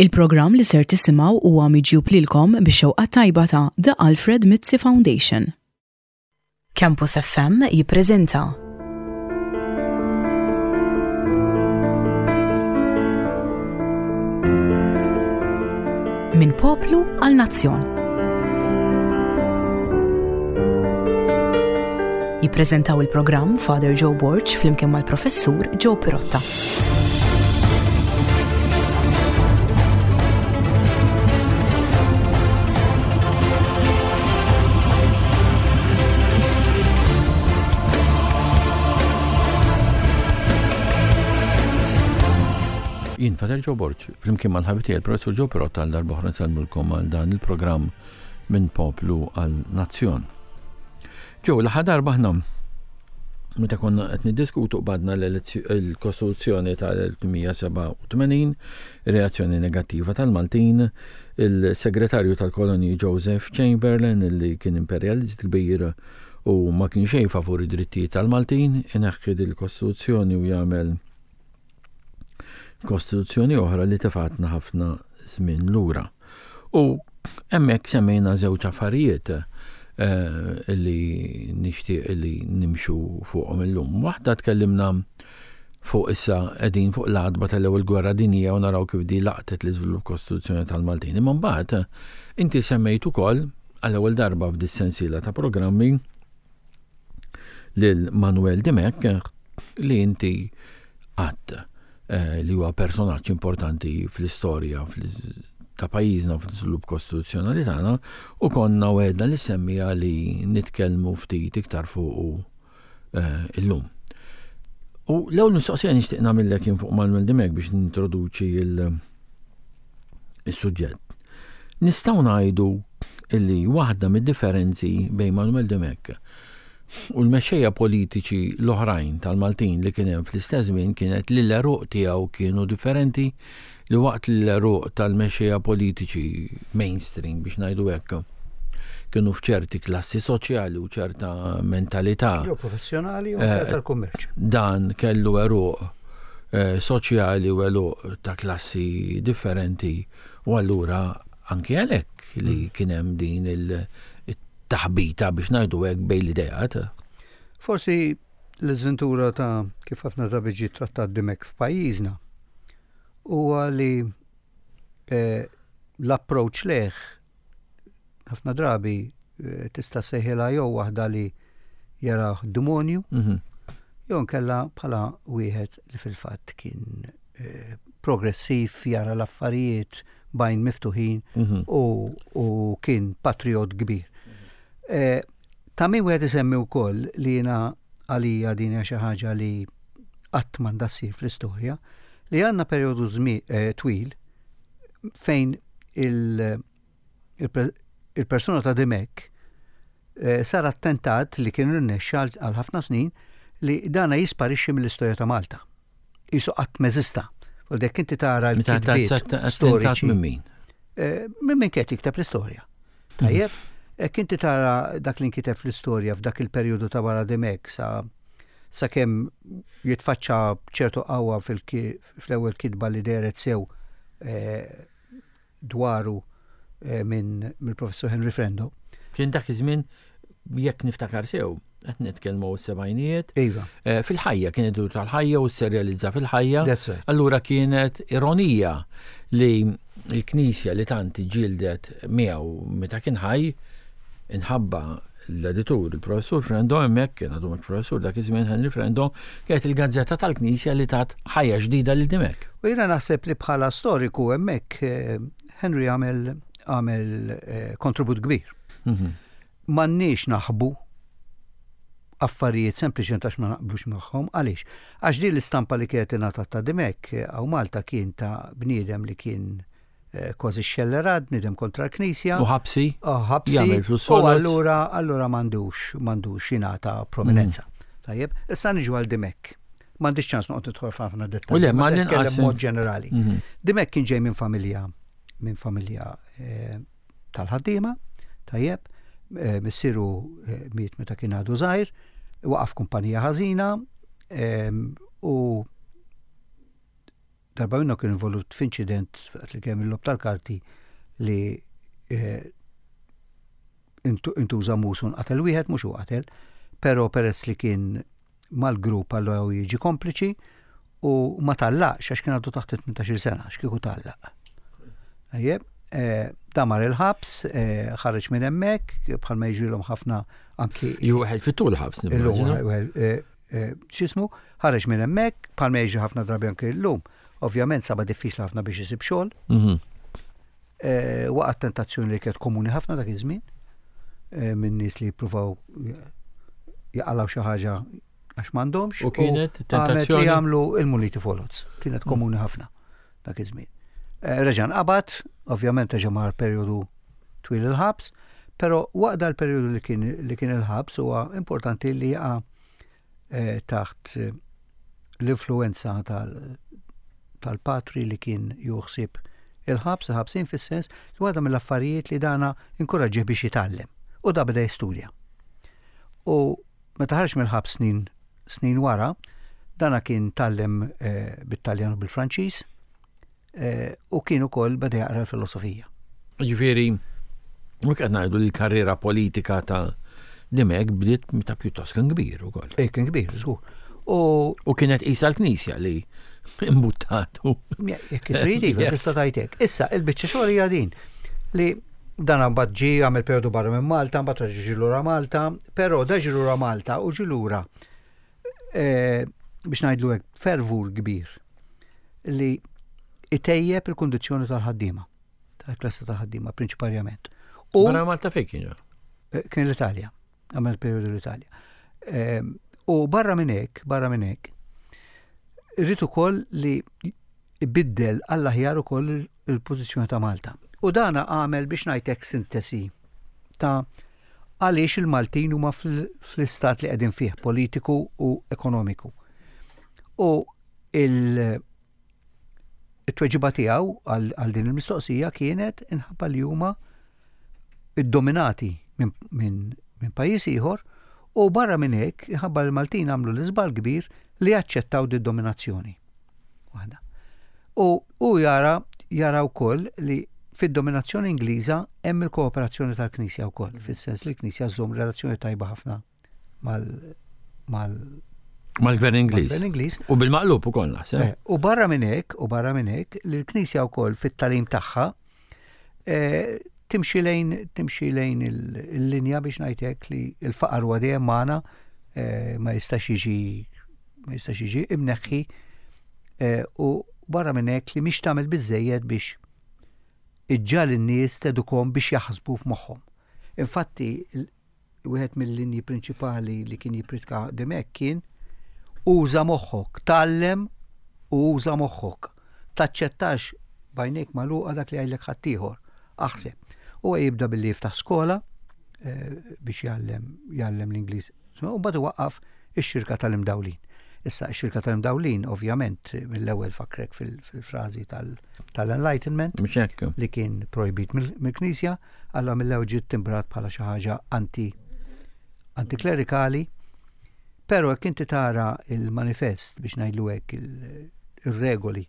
Il-programm li ser tisimgħu huwa miġjub lilkom bix-xewqa tajba ta' The Alfred Mizzi Foundation. Campus FM jippreżenta Minn poplu għal nazzjon. Jippreżentaw il-programm Father Joe Borg flimkien mal-Professur Joe Pirotta. Jien Father Joe Borg, flimkien mal-ħabib tiegħi il-Professur Joe Pirotta għal darba oħra nsellmulkom għal dan il-programm minn poplu għal nazzjon. Joe, l-aħħar darba aħna meta konna qed niddiskutu qbadna l-Kostituzzjoni tal-1887, reazzjoni negattiva tal-Maltin, il-Segretarju tal-Kolonji Joseph Chamberlain li kien imperjalist kbir u ma kien xejn favur id-drittijiet tal-Maltin, ineħħi il-Kostituzzjoni u jagħmel Kostituzzjoni oħra li tefatna ħafna żmien lura. U hemmhekk semmejna żewġ affarijiet eh, li nixtieq li nimxu fuqhom illum. Waħda tkellimna fuq issa qegħdin fuq l-għadba tal-ewwel gwerra dinjija u naraw kif di laqtet l-iżvilupp kostituzzjoni tal-Maltin. Imma mbagħad inti semmejt ukoll għall-ewwel darba f'dis-sensiela ta' programmi lil Manuel Dimech li inti għadd eh, li huwa personaġġ importanti fl-istorja ta' pajjiżna fl-iżvilupp kostituzzjonali tagħna u konna wegħedna li semmija li nitkellmu ftit iktar fuqu eh, illum. U l-ewwel mistoqsija nixtieq nagħmillek jien fuq Manuel Dimech biex nintroduċi il-suġġett. Nistgħu ngħidu illi waħda mid-differenzi bejn Manuel Dimech u l-mexxejja politiċi l-oħrajn tal-Maltin li kien hemm fl-istess żmien kienet li l-għeruq tiegħu kienu differenti li waqt li l-għeruq tal-mexxejja politiċi mainstream biex ngħidu hekk kienu f'ċerti klassi soċjali u ċerta mentalità. Jew professjonali jew eh, tal-kummerċ. Dan kellu għeruq eh, soċjali u għeruq ta' klassi differenti u allura anki għalhekk li mm. kien hemm din il-taħbita biex ngħidu hekk bejn l-idejat. Forsi l-iżventura ta' kif ħafna drabi ġie trattat dimek f'pajjiżna huwa li eh, l-approach leħ ħafna drabi eh, tista' sejħilha jew waħda li jaraw demonju, mhm. jew nkella bħala wieħed li fil-fatt kien eh, progressiv jara l-affarijiet bajn miftuħin mhm. u kien patriot kbir. Eh, ta' min wieħed isemmi wkoll li jiena għalija din hija xi ħaġa li qatt m'għandha ssir fl-istorja, li għandna perjodu twil fejn il-persuna ta' Dimech eh, sar attentat li kien rnexxa għal ħafna snin li dana jisparixxi mill-istorja ta' Malta. Isu qatt meżista. U dek inti tara l-kitbiet storiċi. Minn min? Eh, minn min kien jikteb l-istorja. Tajjeb, jekk inti tara dak li nkiteb fl-istorja f'dak il-perjodu ta' wara Dimech sa sakemm jitfaċċa ċertu qawwa fl-ewwel kitba li dehret sew eh, dwaru eh, minn mill-professur Henry Frendo. Kien dak iż-żmien jekk niftakar sew, qed nitkellmu s-sebgħinijiet. Iva. Eh, fil-ħajja kien idur tal-ħajja u serjalizza fil-ħajja. Allura kienet ironija li l-Knisja li tant ġildet miegħu meta kien ħaj inħabba l-editur, il-professur Frendo hemmhekk kien għadu mhux professur dak iż-żmien Henry Frendo, kienet il-gazzetta tal-Knisja li tat ħajja ġdida lil Dimech. U jiena naħseb li bħala storiku hemmhekk eh, Henry għamel għamel eh, kontribut kbir. Mhm. M'għandniex naħbu affarijiet sempliċement għax ma naqblux magħhom. Għaliex? Għax din l-istampa li kienet ingħatat ta' Dimech eh, hawn Malta kien ta' bniedem li kien eh, kważi xellerat, bniedem kontra l-Knisja. U ħabsi. U ħabsi. U allura allura m'għandux m'għandux jingħata prominenza. Mm. Tajjeb, issa niġu għal Dimech. M'għandix ċans noqgħod nidħol f'ħafna dettalji. U le, ma nitkellem mod ġenerali. Mhm. Dimech kien ġej minn familja minn familja eh, tal-ħaddiema, tajjeb, eh, missieru eh, miet meta kien għadu żgħir, waqaf kumpanija ħażina u. Darba minnhom kien involut f'inċident waqt li kemm il-lob tal-karti li eh, intuża mus u nqatel wieħed mhux hu qatel, però peress li kien mal-grupp allura hu jiġi kompliċi u ma tallaqx għax kien għadu taħt 18 sena, x'kieku tallaq. Ejjeb, eh, damar il-ħabs, eh, ħareġ minn hemmhekk, bħalma jiġrilhom ħafna anki. Ju wieħed fit-tul ħabs. Eh, x'ismu, ħareġ minn hemmhekk, bħalma jiġri ħafna drabi anki llum. Ovvjament saba diffiċli ħafna biex isib xogħol. Mhm. Waqgħet tentazzjoni li kienet komuni ħafna dak iż-żmien minn nies li jippruvaw jaqalgħu xi ħaġa għax m'għandhomx. U kienet tentazzjoni li jagħmlu il-muniti folots. Kienet komuni ħafna dak iż-żmien. Reġa' nqabad, ovvjament reġa' mar perjodu twil il-ħabs, però waqt dal-perjodu li kien li kien il-ħabs huwa importanti li jaqa' taħt l-influenza tal-patri li kien juħsib il-ħabs, il-ħabsin fis-sens li waħda mill-affarijiet li dana inkoraġġih biex jitgħallem. U da beda jistudja. U meta ħareġ mill-ħabs snin snin wara, dana kien tgħallem eh, bit-Taljan u bil-Franċiż, Eh, u kien ukoll beda jaqra l-filosofija. Ġifieri, u qed ngħidu li l-karriera politika ta' Dimek bdiet meta pjuttost kien kbir ukoll. Eh, kien kbir, żgur. U, u kienet qisha l-Knisja li imbuttatu. Jekk trid, iva, tista' tgħid Issa, il-biċċa xogħol hija din li dan mbagħad ġie għamel perjodu barra minn Malta, mbagħad reġa' ġie lura Malta, però da ġie lura Malta u ġie lura eh, biex ngħidlu hekk fervur kbir li itejjeb il-kundizzjoni tal-ħaddiema, tal-klassa tal-ħaddiema prinċiparjament. U Barra Malta fejn kien? Eh, kien l-Italja, għamel periodu l-Italja. Ehm, u barra minn hekk, barra minn hekk, irrid ukoll li ibiddel għall-aħjar ukoll il-pożizzjoni ta' Malta. U dana għamel biex ngħidlek sintesi ta' għaliex il-Maltin huma fl-istat li qegħdin fih politiku u ekonomiku. U il-tweġiba tiegħu għal din il-mistoqsija kienet inħabba li huma iddominati minn min pajjiż ieħor u barra minn hekk inħabba li l-Maltin għamlu l-iżball kbir li jaċċettaw di dominazzjoni. Waħda. U hu jara jara wkoll li fid-dominazzjoni Ingliża hemm il-kooperazzjoni tal-Knisja wkoll, fis-sens li l-Knisja żżomm relazzjoni tajba ħafna mal mal mal-gvern Ingliż. Mal-gvern Ingliż. U bil-maqlub ukoll naħseb. Eh, u barra minn hekk, u barra minn hekk, li l-Knisja wkoll fit-talim tagħha eh, timxi lejn timxi lejn il-linja biex ngħid hekk li l-faqar huwa dejjem magħna eh, ma jistax jiġi ma jistax jiġi imneħħi eh, u barra minn hekk li mhix tagħmel biżejjed biex iġġal in-nies tedukom biex jaħsbu f'moħħhom. Infatti, wieħed mill-linji prinċipali li kien jippritka Dimech kien uża moħħok, tgħallem u uża moħħok. Taċċettax b'għajnejk magħluqa dak li jgħidlek ħaddieħor. Aħseb. Huwa jibda billi jiftaħ skola eh, biex jgħallem jgħallem l-Ingliż. U mbagħad iwaqqaf ix-xirka tal-imdawlin. Issa x-xirka tal-imdawlin ovvjament mill-ewwel fakrek fil-frażi tal-Enlightenment li kien projbit mill-Knisja, Allura mill-ewwel ġiet timbrat bħala xi ħaġa anti antiklerikali, però jekk inti tara il-manifest biex ngħidlu hekk ir-regoli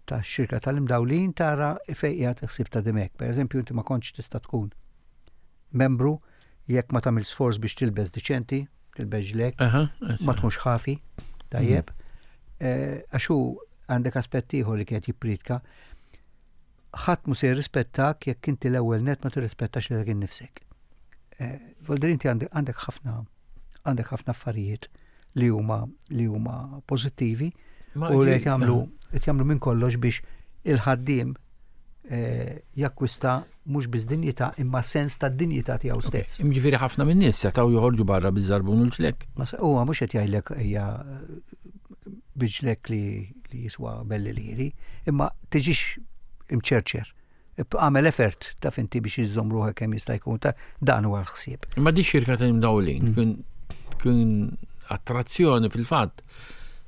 tax-xirka tal-imdawlin tara fejn qiegħed ħsieb ta' dimek. Per eżempju, inti ma kontx tista' tkun membru jekk ma tagħmel sforz biex tilbes diċenti, tilbes ġlek, ma tkunx ħafi, tajjeb. Mhm. Eh, għax hu għandek aspett ieħor li kienet jippritka Ħadd mhu se jirrispettak jekk inti l-ewwel nett ma tirrispettax lilek innifsek. Eh, Voldir inti għandek ħafna għandek ħafna affarijiet li huma li huma pożittivi u li qed jagħmlu qed jagħmlu minn kollox biex il-ħaddiem eh, jakkwista mhux biss dinjità imma sens ta' dinjità tiegħu stess. Jiġifieri ħafna minn nies setgħu joħorġu barra biż-żarbun u l-ġlek. Ma huwa mhux qed jgħidlek hija biġlek li, li jiswa belli liri, imma tiġix imċerċer. Għamel effort ta' finti biex iżżomm ruħek kemm jista' jkun ta' dan huwa l-ħsieb. Imma di xirka ta' imdawlin mm. kien attrazzjoni fil-fatt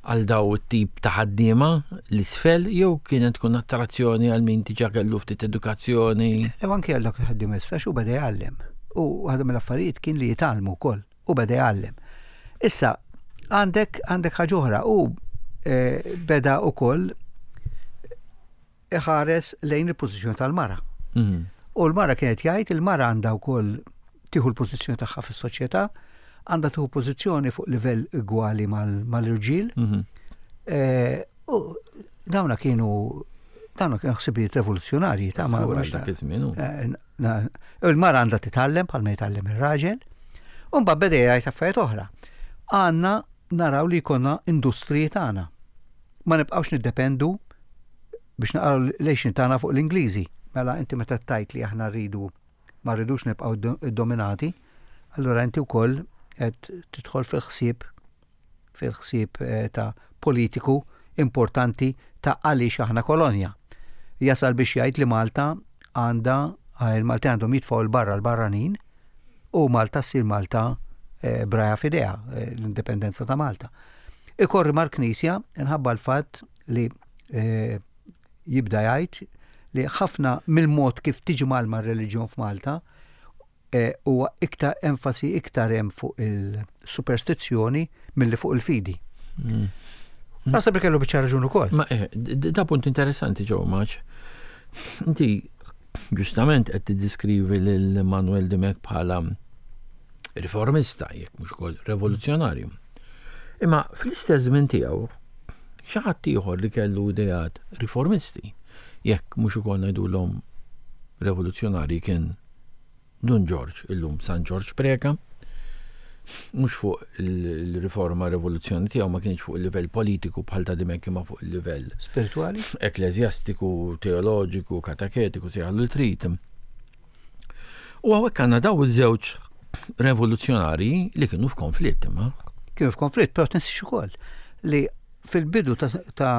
għal daw it-tip ta' ħaddiema l-isfel jew kienet tkun attrazzjoni għal min diġà kellu ftit edukazzjoni. Ew anke għal dak il-ħaddiema isfel xu beda jgħallem. U waħda mill-affarijiet kien li jitgħallmu wkoll. U beda jgħallem. Issa, għandek għandek ħaġa oħra u eh, beda wkoll iħares lejn il-pożizzjoni tal-mara. Mhm. U l-mara kienet jgħid il-mara għandha wkoll tieħu l-pożizzjoni tagħha fis-soċjetà, għandha tieħu pożizzjoni fuq livell igwali mal-irġiel. Mhm. Eh, u dawna kienu dawna kienu ħsibijiet revoluzzjonarji ta' ma' eh, Il-mara għandha titgħallem bħalma jitgħallem ir-raġel. U mbagħad beda jgħid affarijiet oħra. Għandna naraw li jkollna industriji tagħna. Ma nibqgħux niddependu biex naqraw l-għixin tagħna fuq l-Ingliżi. Mela inti meta tajt li aħna rridu ma rridux nibqgħu dominati, allura inti wkoll qed tidħol fil-ħsieb fil-ħsieb eh, ta' politiku importanti ta' għaliex aħna kolonja. Jasal biex jgħid li Malta għandha eh, il-Malti għandhom jitfgħu l-barra l-barranin u Malta ssir Malta eh, braja fidea l-indipendenza ta' Malta. Ikorri mal-Knisja nħabba l-fatt li jibda jgħid li ħafna mill-mod kif tiġi malma r-reliġjon f'Malta huwa iktar enfasi iktar hemm fuq il-superstizzjoni milli fuq il-fidi. Mm. Naħseb li kellu biċċa raġun ukoll. Ma eh, da punt interessanti ġew maċ. Inti ġustament qed tiddiskrivi lil Manuel Dimech bħala riformista, jekk mhux ukoll revoluzzjonarju. Imma fl-istess żmien tiegħu xi ħadd ieħor li kellu ideat riformisti, jekk mhux ukoll ngħidulhom revoluzzjonarji kien Dun Ġorġ, illum San Ġorġ Preca, mhux fuq il-riforma rivoluzzjoni tiegħu ma kienx fuq il-livell politiku bħal ta' Dimech imma fuq il-livell spirituali, ekklesjastiku, teoloġiku, kataketiku, sejħallu li trid. U hawnhekk għandna daw iż-żewġ revoluzzjonarji li kienu f'konflitt imma. Kienu f'konflitt, però tinsiex ukoll li fil-bidu ta', ta,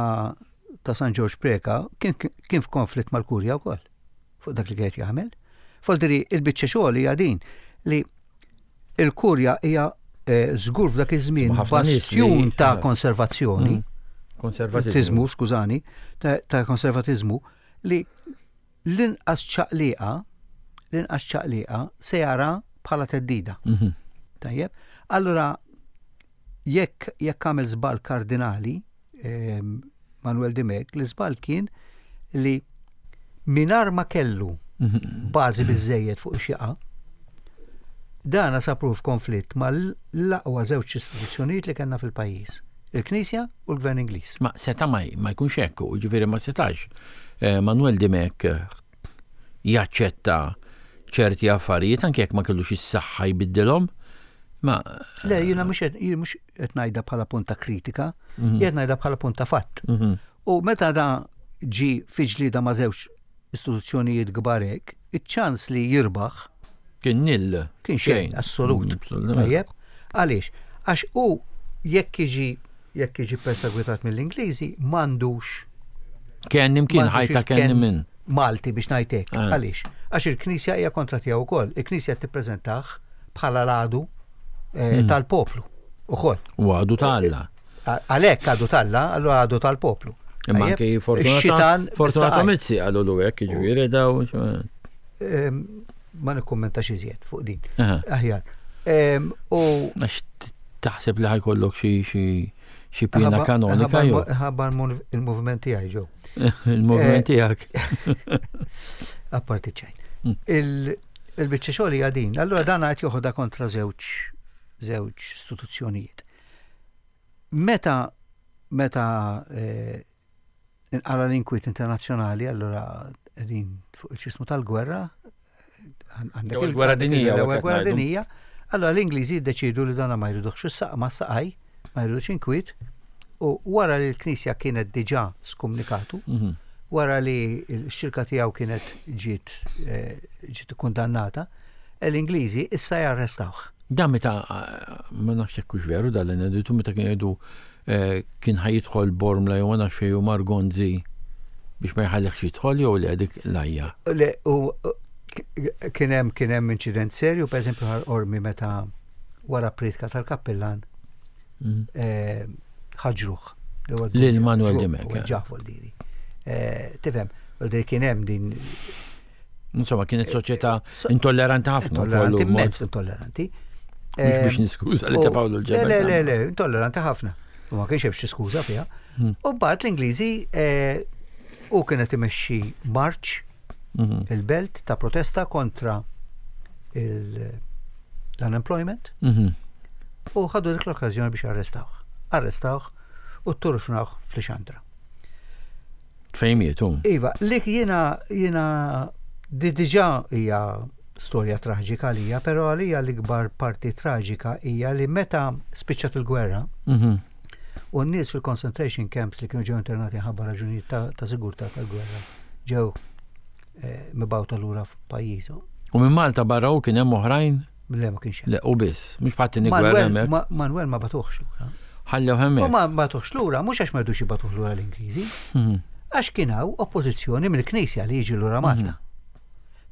ta San Ġorġ Preca kien, kien f'konflitt mal-Kurja wkoll fuq dak li kienet jagħmel. Foldiri il-biċċa xogħol hija din li il-Kurja hija eh, żgur f'dak iż-żmien bastjun ta' eh, konservazzjoni. Mm. Konservatizmu, skużani, ta' konservatizmu li l-inqas ċaqliqa, l-inqas ċaqliqa se jara bħala teddida. Mhm. Tajjeb? Allura, jekk jekk għamel żball kardinali, ehm, Manuel Dimech, l-iżball kien li minar ma kellu mhm. bażi biżejjed fuq xieqa, dana sapru f'konflitt mal-aqwa żewġ istituzzjonijiet li kellna fil-pajjiż il-Knisja u l-Gvern Ingliż. Ma seta ma jkunx hekk, ġifieri ma setax. Eh, Manuel Dimech eh, jaċċetta ċerti affarijiet anke jekk ma kellux is-saħħa jbiddilhom. Ma Le, jiena mhux jien mhux qed ngħidha bħala punt ta' kritika, mhm. jien ngħidha bħala punt ta' fatt. Mhm. U meta da ġi fi ġlieda ma' żewġ istituzzjonijiet kbar hekk, iċ-ċans li jirbaħ kien nil. Kien xejn, assolut. Mm, Tajjeb, għaliex? Għax u jekk jiġi jekk jiġi persegwitat mill-Ingliżi m'għandux. Kien imkien ħajta kien minn. Malti biex ngħidlek. Ah. Għaliex? Għax il-Knisja hija kontra tiegħu wkoll. Il-Knisja tippreżentah bħala l-għadu eh, hmm. tal-poplu ukoll. U għadu ta' Alla. Eh, għalhekk għadu tal-Alla, allura għadu tal-poplu. Imma anke Fortunato Mizzi għalu l hekk, jiġifieri daw. Ehm, ma nikkummentax iżjed fuq din. Aħjar. Ehm, u għax taħseb li ħajkollok xi xi xi pjena kanonika jew. Ħabba il-moviment tiegħi ġew. Il-moviment eh, tiegħek. Apparti ċejn. Mm. Il-biċċa xogħol hija din. Allura dan qed joħodha kontra żewġ żewġ istituzzjonijiet. Meta meta eh, inqala l-inkwiet internazzjonali, allura qegħdin fuq il-ċismu tal-gwerra, għandek il-gwerra dinija. L-ewwel gwerra dinija, allura l-Ingliżi jiddeċidu li dana ma jridux is ma saqaj, ma jridux inkwiet, u wara li l-Knisja kienet diġà skumnikatu, mhm. wara li l-xirka tiegħu kienet ġiet eh, ġiet kundannata, l-Ingliżi issa jarrestawh. Da meta eh, ma nafx jekk hux veru dan l-ineditu meta kien jgħidu Eh, kien ħa jidħol Bormla jew ma nafx fejn mar Gonzi biex ma jħallihx jidħol jew le dik lajja. Le, u kien hemm kien hemm inċident serju, pereżempju ħal ormi meta wara pritka tal-kappillan mm. eh, ħaġruh. Lil Manuel Dimech. Eh. Ġafu l-diri. Tifhem, kien hemm din Insomma, kienet soċjetà intolleranti ħafna. Intolleranti, immens intolleranti. Mhux biex niskuża li tefgħu l-ġebel. Le, le, le, intolleranti ħafna. U ma kienx hemm xi skuża fiha. Hmm. U mbagħad l-Ingliżi eh, U kien qed imexxi marċ mhm. il-belt ta' protesta kontra l-unemployment. Mhm. U ħadu dik l-okkażjoni biex arrestawh. Arrestawh u turfnawh fl-xandra. Fejn mietu? Iva, li jiena jiena di diġà hija storja traġika għalija, però għalija l-ikbar parti traġika hija li meta spiċċat il-gwerra mhm. u n-nies fil-concentration camps li kienu ġew internati ħabba raġunijiet ta', ta sigurtà tal-gwerra ġew eh, mibgħuta lura f'pajjiżhom. U minn Malta barra u kien hemm oħrajn? Le ma kienx hemm. Le u biss, mhux bħat tieni gwerra hemmhekk. Manuel ma batuħx lura. Ħallew hemmhekk. U ma batuħx lura mhux għax ma rdux jibatuh lura l-Ingliżi. Mhm. Għax kien hawn oppożizzjoni mill-Knisja li jiġi lura Malta. Mhm.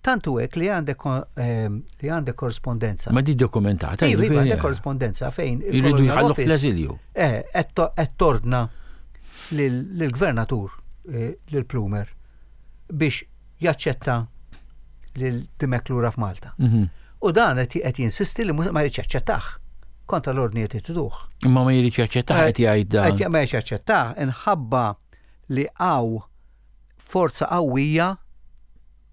Tantu hekk li għandek ehm, li għandek korrespondenza. Ma di dokumentata. Iva, iva għandek korrespondenza fejn. Jridu jħallu fl-eżilju. Eh, qed tordna lill-gvernatur, eh, lil Plumer, biex jaċċetta lil Dimech lura f'Malta. Mhm. U dan qed jinsisti li ma jridx jaċċettah kontra l-ordni qed jtiduh. Imma ma jridx jaċċettah qed jgħid dan. Ma jridx jaċċettah inħabba li hawn forza qawwija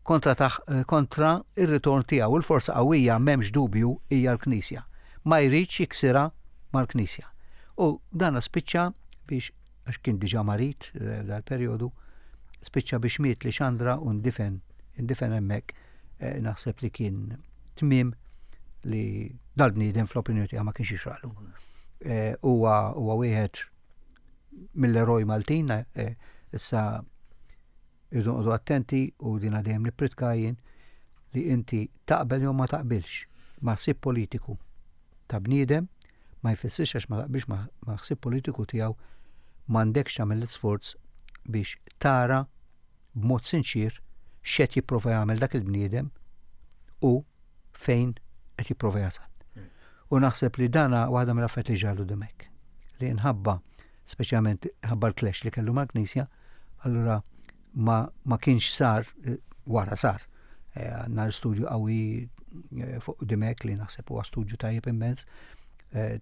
kontra taħ, kontra ir-ritorn tiegħu. Il-forza qawwija m'hemmx dubju hija l-Knisja. Ma jridx jiksirha mal-Knisja. U dan spiċċa biex għax kien diġà marid eh, dal-perjodu, spiċċa biex miet li Xandra u ndifen, indifen hemmhekk eh, naħseb li kien tmiem li dal-bniedem fl-opinjoni tiegħu ma kienx jixraqlu. Eh, huwa huwa wieħed mill-eroj Maltin, issa Irridu noqogħdu attenti u dina dejjem nippritka jien li inti taqbel jew ma taqbilx ma' ħsieb politiku ta' bniedem ma jfissirx għax ma taqbilx ma' ħsieb politiku tiegħu m'għandekx tagħmel l-isforz biex tara b'mod sinċier x'qed jipprova jagħmel dak il-bniedem u fejn qed jipprova jasal. U naħseb li dana waħda mill-affarijiet li ġralu Dimech. Li nħabba speċjalment ħabba l-clash li kellu mal-Knisja, allura ma, ma kienx sar, eh, wara sar. Eh, għandna studju qawwi eh, fuq Dimek li naħseb huwa studju tajjeb immens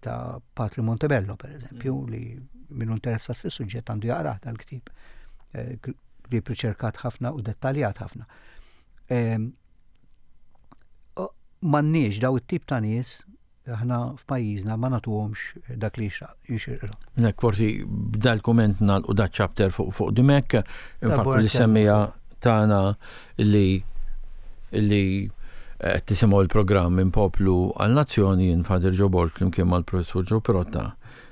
ta' Patri Montebello, per eżempju, mm. li minnu interessat fis-suġġett għandu jaqrah dal-ktib. Ktieb riċerkat ħafna u dettaljat ħafna. Ehm, m'għandniex daw it-tip ta' nies aħna f'pajjiżna ma nagħtuhomx dak li jixirqilhom. Nek forsi b'dal-kumment nagħlqu da chapter fuq fuq Dimek, infakru li semmija tagħna li li qed tisimgħu l-programm minn poplu għal nazzjoni jien Father Joe Borg flimkien mal-Professur Joe Pirotta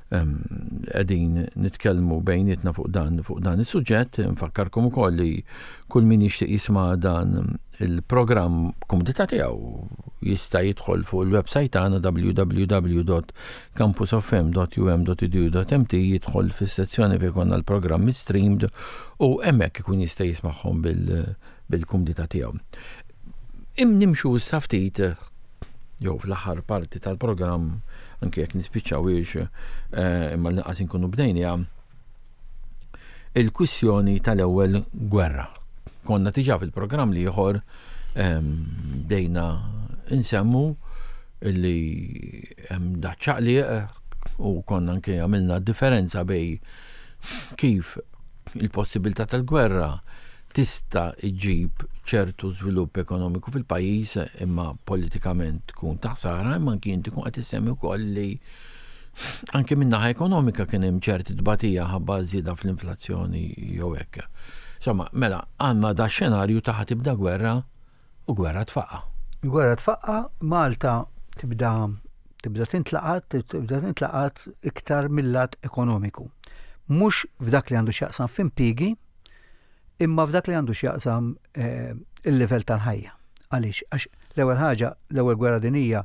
qegħdin nitkellmu bejnietna fuq dan fuq dan is-suġġett, nfakkarkom ukoll li kull min jixtieq jisma' dan il-programm b'kumdità tiegħu jista' jidħol fuq il-website tagħna www.campusofm.um.edu.mt jidħol fis-sezzjoni fejn konna l-programmi streamed u hemmhekk ikun jista' jismagħhom bil-kumdità tiegħu. Im nimxu issa ftit jew fl-aħħar parti tal-programm anke jekk nispiċċawiex eh, imma l-inqas inkunu bdejniha il-kwissjoni tal-ewwel gwerra. Konna diġà fil-programm l-ieħor ehm, bdejna insemmu li hemm daċċaqliq u konna anke għamilna differenza bej kif il-possibilità tal-gwerra tista' ġġib ċertu żvilupp ekonomiku fil-pajjiż imma politikament tkun ta' ħsara, imma anki inti tkun qed issemmi wkoll li anke min-naħa ekonomika kien hemm ċerti tbatija ħabba żieda fl-inflazzjoni jew hekk. Insomma, mela għandna da xenarju ta' tibda gwerra u gwerra tfaqqa. Gwerra tfaqqa, Malta tibda tibda tintlaqat, tibda tintlaqat iktar mill-lat ekonomiku. Mhux f'dak li għandu x'jaqsam f'impjiegi, imma f'dak li għandu x'jaqsam eh, il-livell tal-ħajja. Għaliex? Għax l-ewwel ħaġa, l-ewwel gwerra dinija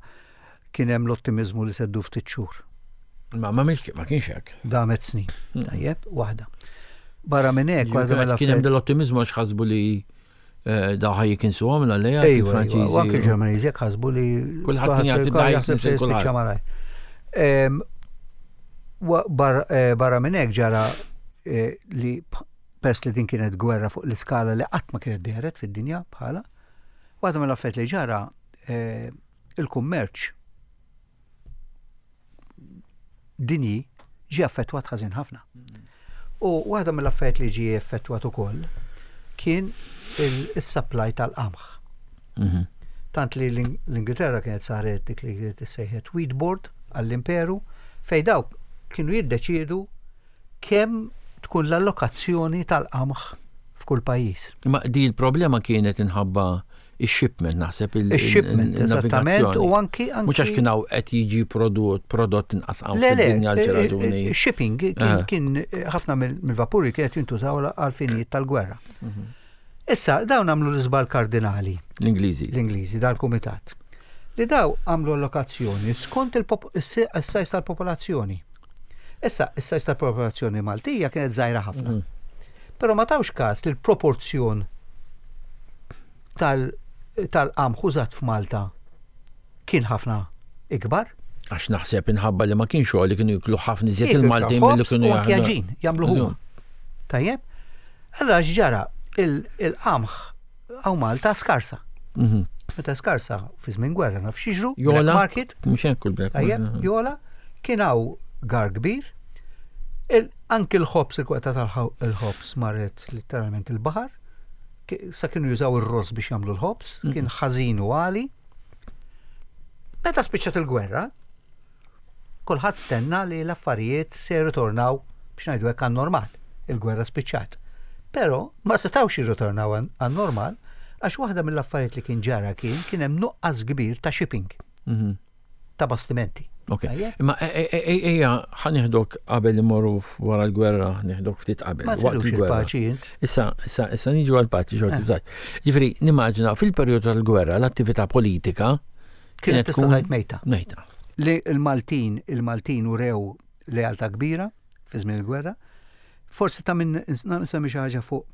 kien hemm l-ottimiżmu li seddu ftit xhur. Ma ma ma kienx hekk. Damet snin. Hmm. Tajjeb, waħda. Barra minn hekk, waħda mela kien hemm dell-ottimiżmu għax ħasbu li eh, daw ħaj jikinsu għom l-għalleja. Ejwa, u anke l-Ġermaniżi jekk ħasbu li. Kulħadd kien jaħseb se jispiċċa malaj. Eh, barra minn hekk ġara eh, li pers li din kienet gwerra fuq l-iskala li qatt ma kienet dehret fid-dinja bħala, waħda mill-affarijiet li ġara eh, il-kummerċ dinji ġie affettwat ħażin ħafna. U waħda mill-affarijiet li ġie effettwat ukoll. kien il-supply tal-qamħ. Mhm. Tant li l-Ingilterra kienet saret dik li kienet issejħet wheat board għall-imperu fejn dawk kienu jiddeċiedu kemm tkun l-allokazzjoni tal-qamħ f'kull pajjiż. Imma di l-problema kienet inħabba ix-shipment naħseb il shipment eżattament u anki anki Mhux għax kien hawn qed jiġi prodott prodott inqas hawn Le, le, fid-dinja għal xi raġuni. shipping Eh. kien ħafna mill-vapuri kienet jintużaw għal finijiet tal-gwerra. Mhm. Issa dawn għamlu l-iżbal kardinali. L-Ingliżi. L-Ingliżi dal-kumitat. Li daw għamlu allokazzjoni skont il-sajs tal-popolazzjoni. Issa, is-sajs tal-popolazzjoni Maltija kienet żgħira ħafna. Mhm. Però ma tawx każ li l-proporzjon tal-qamħ użat f'Malta kien ħafna ikbar. Għax naħseb inħabba li ma kienx xogħol li kienu jiklu ħafna iżjed il-Maltin milli kienu jagħmlu. Jagħmlu huma. Tajjeb? Allora x'ġara il-qamħ hawn Malta skarsa. Mhm. Meta skarsa fi żmien gwerra naf x'jiġru, Jola, market. Mhux hekk il-black market. Tajjeb, jola, kien hawn gar kbir. Anki l-ħobs, il-kwalità tal-ħobs marret letteralment il-baħar. Sa kienu jużaw ir-ross biex jagħmlu l-ħobs, Mhm. kien ħażin u għali. Meta spiċċat il-gwerra, kulħadd stenna li l-affarijiet se jirritornaw biex ngħidu hekk għan-normal. Il-gwerra spiċċat. Però ma setgħux jirritornaw għan-normal għax waħda mill-affarijiet li kien ġara kien kien hemm nuqqas kbir ta' shipping. Mhm. Ta' bastimenti. Ok. Imma e, e, e, ejja ħa nieħdok qabel imorru wara l-gwerra, nieħdok ftit qabel. Ma waqt il-gwerra. Issa, issa, issa niġu għal-paċi xorti eh. bżajt. Ġifieri, nimmaġina fil-perjodu tal-gwerra l-attività politika kienet tista' tgħid mejta. Mejta. Li l-Maltin, il-Maltin urew lealtà kbira fi żmien il-gwerra. Forsi ta' minn nsemmi xi ħaġa fuq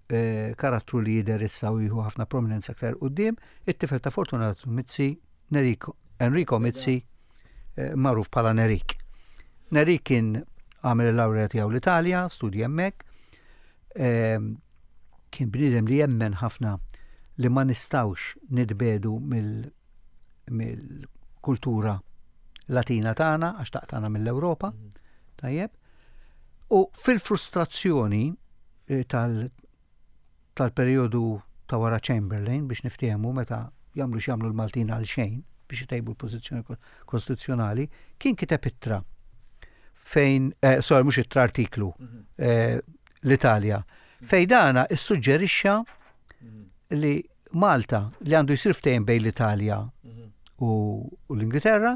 eh, karattru li jidher issa u jieħu ħafna prominenza aktar quddiem, it-tifel ta' Fortunato Mizzi, Enrico, Enrico Mizzi, eh, magħruf bħala Nerik. Nerik kien għamel il-lawrea tiegħu l-Italja, studja hemmhekk. Ehm, kien bniedem li jemmen ħafna li ma nistawx nitbedu mill-kultura Latina tagħna għax taqtana mill-Ewropa. Mhm. Tajjeb. U fil-frustrazzjoni eh, tal tal-perjodu ta' wara Chamberlain biex niftehmu meta jagħmlu x'jagħmlu l-Maltin għal xejn biex itejbu l-pożizzjoni kostituzzjonali, kien kiteb ittra fejn, eh, sorry, mhux ittra artiklu, mhm. eh, l-Italja, fejn dana issuġġerixxa mhm. li Malta li għandu jsir ftehim bejn l-Italja mhm. u l-Ingilterra,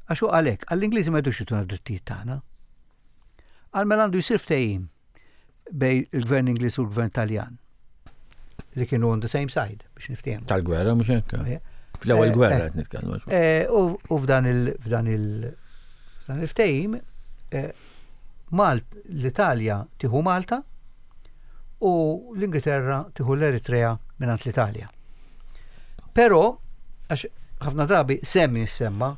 għax hu għalhekk, għall-Ingliżi ma jdux jituna drittijiet tagħna. Għal mela għandu jsir ftehim bejn il-gvern Ingliż u l-gvern Taljan li kienu on the same side biex niftehmu. Tal-gwerra mhux hekk. Fl-ewwel eh, gwerra eh. qed nitkellmu. Eh, u f'dan il f'dan il f'dan il-ftehim Malt l-Italja tieħu Malta u l-Ingilterra tieħu l-Eritrea mingħand l-Italja. Però għax ħafna drabi semmi semma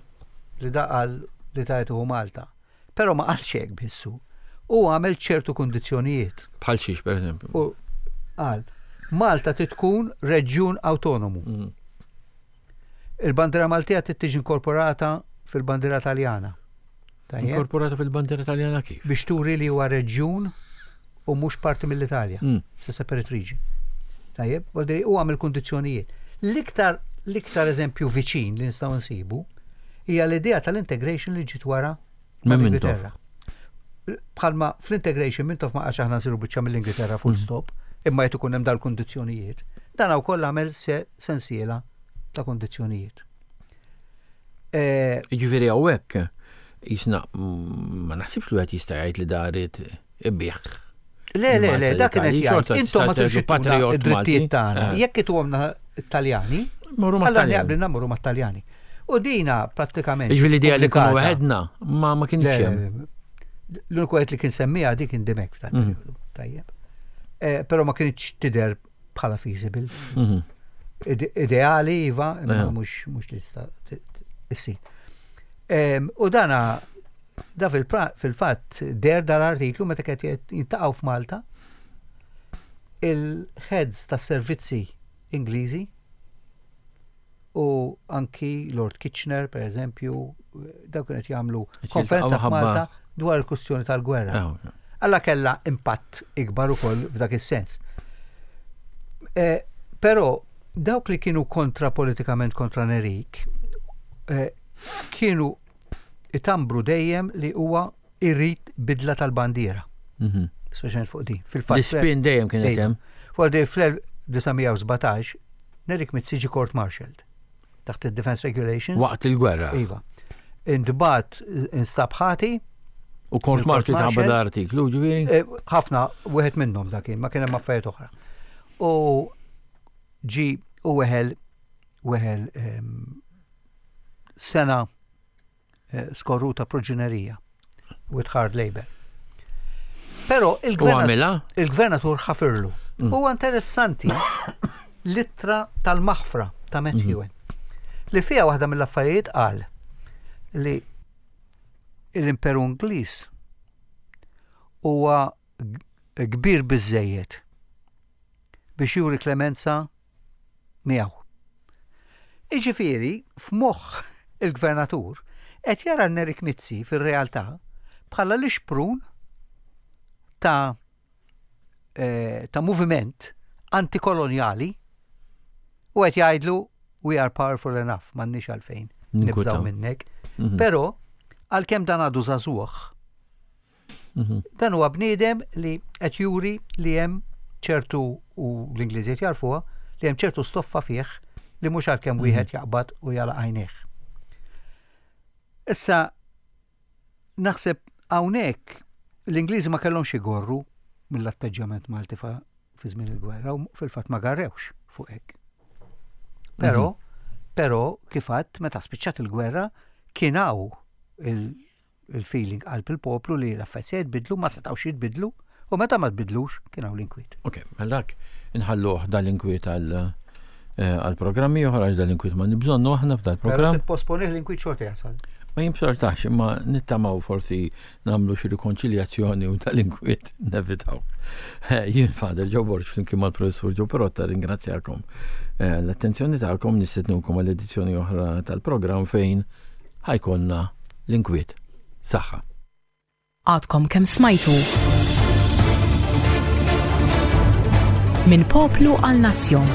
li daqal l-Italja tieħu Malta. Però ma qalx hekk biss hu. Hu għamel ċertu kundizzjonijiet. Bħal xiex, per eżempju? U qal, Malta trid tkun reġjun awtonomu. Mm. Il-bandiera Maltija trid tiġi inkorporata fil-bandiera Taljana. Tajjeb? Inkorporata fil-bandiera Taljana kif? Biex turi li huwa reġjun u mhux parti mill-Italja. Mm. It's a separate region. Tajjeb, u għamel kundizzjonijiet. L-iktar l-iktar eżempju viċin li nistgħu nsibu hija l-idea tal-integration li ġiet wara mal-Ingilterra. Bħalma fl-integration Mintoff ma qalx aħna nsiru biċċa mill-Ingilterra full mm. stop, imma jrid ikun hemm dal-kundizzjonijiet. Dan wkoll għamel sensiela ta' kundizzjonijiet. Eh, Jiġifieri hawnhekk jisna mm, ma naħsibx li wieħed jista' jgħid li darit ibih. Le, le, le, dak kienet jgħid. Intom ma tridux patriot id-drittijiet tagħna. Eh. Jekk ituhomna Taljani, allora jaqblilna mmorru mat-Taljani. U dina prattikament. Jiġifieri l-idea li kunu weħedna ma ma kienx hemm. L-uniku qed li kien semmija dik kien Dimek f'dan mhm. periodu. Tajjeb. Eh, però ma kienx tidher bħala feasible. Mhm. Ideali iva, imma Eh. mhux mhux li tista' issir. U dana da fil-fatt der dal-artiklu meta qed jintaqgħu f'Malta il-heads tas servizzi Ingliżi u anki Lord Kitchener, per eżempju, dawk kienet jagħmlu konferenza f'Malta dwar il-kustjoni tal-gwerra. Ah, Alla kella impatt ikbar ukoll f'dak is-sens. Eh, però dawk li kienu kontra politikament kontra Nerik eh, kienu itambru dejjem li huwa irrid bidla tal-bandiera. Mhm. Speċjalment fuq din. Fil-fatt. L-ispin dejjem kien hemm. Fuq din fl-1917 Nerik Mizzi ġie court martialed taħt il-Defense Regulations. Waqt il-gwerra. Iva. Intbat instab ħati. U court martial ta' l-artiklu, ġifieri? Eh, ħafna, wieħed minnhom dak kien, ma kien hemm affarijiet oħra. U ġi u weħel weħel ehm, sena eh, skorruta proġenerija with hard labor. Pero il-gvernatur ħafirlu. Mm. Huwa interessanti l-ittra tal-maħfra ta' Matthew mm. li fiha waħda mill-affarijiet qal li l-Imperu Ingliż huwa kbir biżejjed biex juri klemenza miegħu. Jiġifieri, f'moħħ il-Gvernatur, qed jara l-Nerik Mizzi fir-realtà bħala l-ixprun ta' eh, ta' moviment antikolonjali u qed jgħidlu we are powerful enough, m'għandniex għalfejn nibżgħu minnek. Mhm. Però għalkemm dan għadu żagħżugħ, Mhm. Dan huwa bniedem li qed juri li hemm ċertu u l-Ingliżi qed jarfuha li hemm ċertu stoffa fih li mhux għalkemm mhm. wieħed jaqbad u jala għajnejh. Issa naħseb hawnhekk l-Ingliżi ma kellhomx igorru mill-atteġġjament Malti fi żmien il-gwerra u fil-fatt ma garrewx fuq hekk. Però, mhm. però kif għadd meta spiċċat il-gwerra kien hawn il-feeling qalb il-poplu li l-affarijiet se jitbidlu, ma setgħux jitbidlu, u meta ma tbidlux kien hawn l-inkwiet. Ok, mela dak inħalluh dal-inkwiet għal eh, għal programmi oħra għax dal-inkwiet ma nibżonnu aħna f'dal programm. Tipposponih l-inkwiet xorta jasal. Ma jimsortax, imma nittamaw forsi namlu xi rikonċiljazzjoni u tal-inkwiet nevitaw. Eh, jien Father Joe Borg flimkien mal-Professur Joe Perotta ringrazzjakom eh, l-attenzjoni tagħkom nistednukom għall-edizzjoni oħra tal-programm fejn ħajkonna l-inkwiet. Saħħa. Għadkom kemm smajtu Minn poplu għal nazzjon.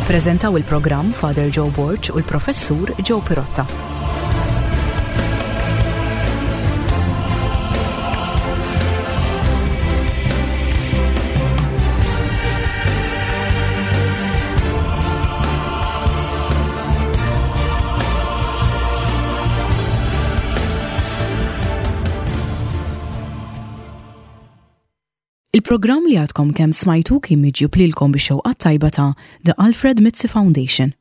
Ippreżentaw il-programm Father Joe Borg u l-Professur Joe Pirotta. Il-programm li għadkom kemm smajtu kien miġjub lilkom bix-xewqa tajba ta' The Alfred Mizzi Foundation.